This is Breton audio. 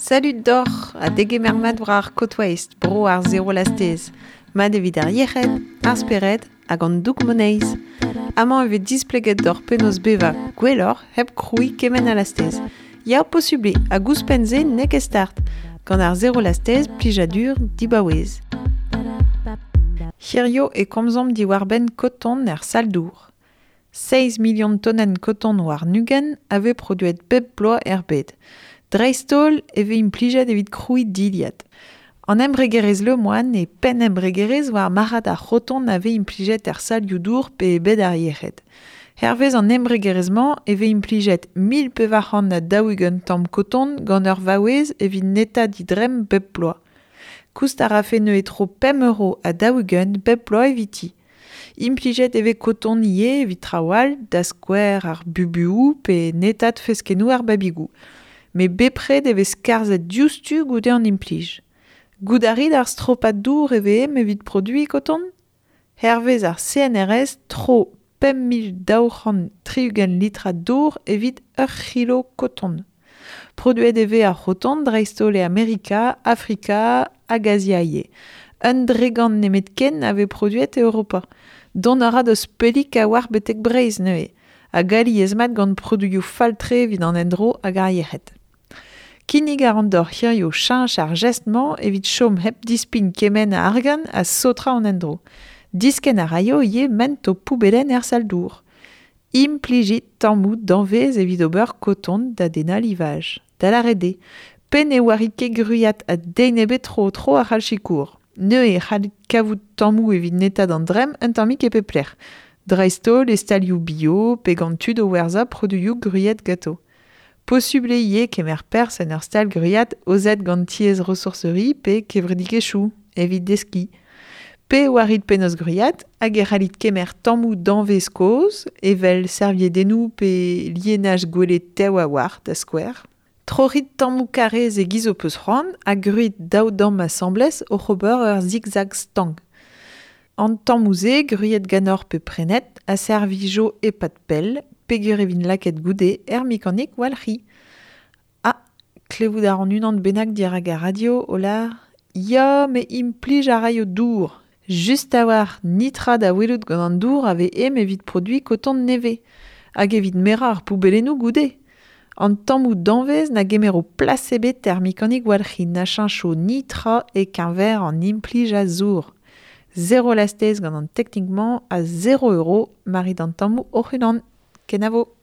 Salut doc'h ha degemer mat war ar Côte Ouest, bro ar zero lastez. Mat evit ar yec'hed, ar spered hag an doug moneiz. Amañ e vez displeget doc'h penaos bevañ gwelloc'h hep krouiñ kement a lastez. Ya, posubl eo, hag ouzhpenn-se n'eo ket start. Gant ar zero lastez, plijadur dibaouez. Hirio e komzomp diwar-benn koton er sal-dour. 6 milion tonenn koton war 20 a vez produet bep bloaz er bed. Dreist-holl e vez implijet evit krouiñ dilhad. An embregerezh Lemoine e penn embregerezh war marc'had ar c'hoton a vez implijet er salioù-dour pe e bed ar yec'hed. Hervez an embregerezh-mañ e vez implijet 1440 tamm koton gant ur vaouez evit netaat he dremm bep bloaz. Koust a rafe neuze tro 5 euro ha 40 bep bloaz eviti. Implijet e vez koton ivez evit traoù all, da skouer ar bubuoù pe netaat feskennoù ar babigoù. Met bepred e vez skarzhet diouzhtu goude an implij. Goût a rit ar stropad dour e vez evit produiñ koton ? Hervez ar CNRS, tro 5260 litrad dour evit ur c'hilo koton. Produet e vez ar c'hoton dreist-holl e Amerika, Afrika hag Azia ivez. Un dregant nemetken a vez produet e Europa. Dont a ra deus pellik a-walc'h betek Breizh neuze, hag alies-mat gant produioù fall-tre evit an endro hag ar yec'hed. Kinnig a ran deoc'h hiziv cheñch ar jestr-mañ evit chom hep dispign kement a argant ha saotrañ an endro. Diskenn a raio ivez ment ho poubellenn er sal-dour. Implijit tammoù danvez evit ober koton da dennañ livaj. Da lâret eo, pe ne oarit ket gwriat ha den ebet tro-tro a c'hall sikour. Neuze e c'hallit kavout tammoù evit netaat an dremm un tammig e pep lec'h. Dreist-holl e stalioù bio pe gant tud o werzhañ produioù gwriet ganto. Posubl eo ivez kemer perzh en ur stal gwriat aozet gant tiez ressourcerie pe kevredigezhioù evit deskiñ. Pe oarit penaos gwriat hag e c'hallit kemer tammoù danvez kozh evel serviedennoù pe lienaj gwelet tev a-walc'h da skouer. Troc'hit tammoù karrez e-giz ho peus c'hoant ha gwrit daou damm asambles oc'h ober ur zigzag stank. An tammoù-se, gwriet ganeoc'h pe prenet, a servijo e-pad pell peogwir e vint lakaet goude er mekanik walc'hiñ. Ah, klevout a ran unan bennak dirak ar radio o lâr Ya, me implij a raio dour. Just a-walc'h netra da welout gant an dour a vez ezhomm evit produiñ koton nevez. Hag evit merañ ar poubellennoù goude. An tammoù danvez na gemero plas ebet er mekanik walc'hiñ na cheñcho netra e-keñver an implij a zour. Zero lastez gant an teknik-mañ a zero euro ma rit an tammoù hoc'h-unan. Kenavo !